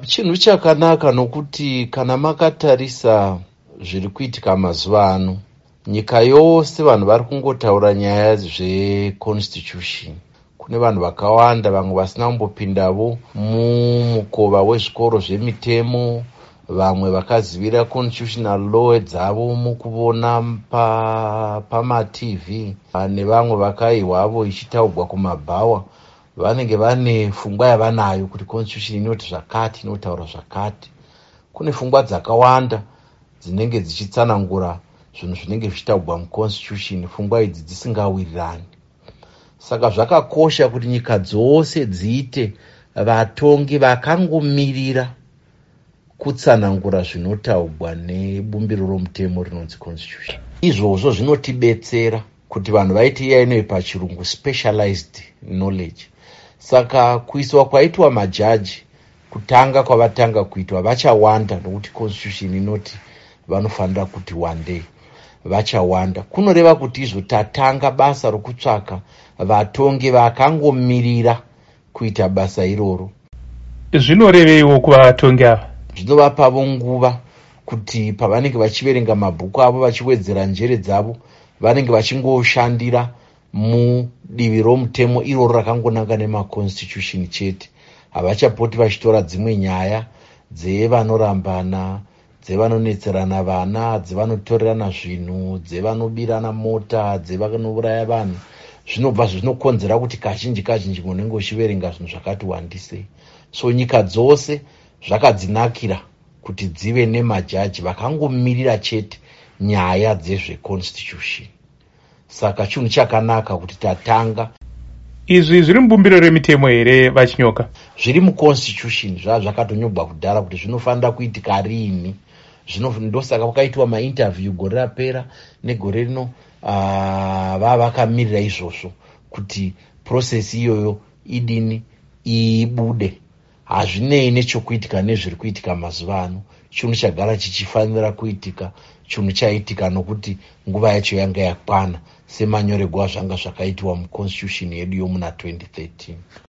Chinhu chakanaka, nokuti kana makatarisa zviri kuitika mazuva ano, nyika yose vanhu vari kungotaura nyaya zveconstitution. Kune vanhu vakawanda, vamwe vasina kumbopindavo mumukova wezvikoro zvemitemo, vamwe vakazivira constitutional law dzavo mukuvona pamatv, nevamwe vakaihwavo ichitaurwa kumabhawa, vanenge vane pfungwa yavanayo kuti constitution inoti zvakati, inotaura zvakati. Kune pfungwa dzakawanda dzinenge dzichitsanangura zvinhu zvinenge zvichitaurwa muconstitution, pfungwa idzi dzisingawirirani. Saka zvakakosha kuti nyika dzose dziite vatongi vakangomirira kutsanangura zvinotaurwa nebumbiro romutemo rinonzi constitution. Izvozvo zvinotibetsera kuti vanhu vaite iya inoi pachirungu specialized knowledge. Saka kuiswa kwaitwa majaji, kutanga kwavatanga kuitwa, vachawanda, nokuti constitution inoti vanofanira kuti one day vachawanda. Kunoreva kuti izvo tatanga basa rokutsvaka vatongi vakangomirira kuita basa iroro. Zvinoreveiwo kuvatongi ava? Zvinovapavo nguva kuti pavanenge vachiverenga mabhuku avo, vachiwedzera njere dzavo, vanenge vachingoshandira mudivi romutemo iroro rakangonanga nemaconstitution chete. Havachapoti vachitora dzimwe nyaya dzevanorambana, dzevanonetserana vana, dzevanotorerana zvinhu, dzevanobirana mota, dzevanouraya vanhu. Zvinobva zvinokonzera kuti kazhinji kazhinji unenge uchiverenga zvinhu zvakati wandisei. So nyika dzose zvakadzinakira kuti dzive nemajaji vakangomirira chete nyaya dzezveconstitution. Saka chinhu chakanaka kuti tatanga. Izvi zviri mubumbiro remitemo here, VaChinyoka? Zviri muconstitution, zvava zvakatonyorwa kudhara kuti zvinofanira kuitika riini. Ndosaka kwakaitwa mainterview gore rapera negore rino, vava vakamirira izvozvo kuti process iyoyo idini, ibude. Hazvinei nechokuitika nezviri kuitika mazuva ano. Chinhu chagara chichifanira kuitika, chinhu chaitika nokuti nguva yacho yanga yakwana, semanyorerwo azvanga zvakaitwa muconstitution yedu yomuna 2013.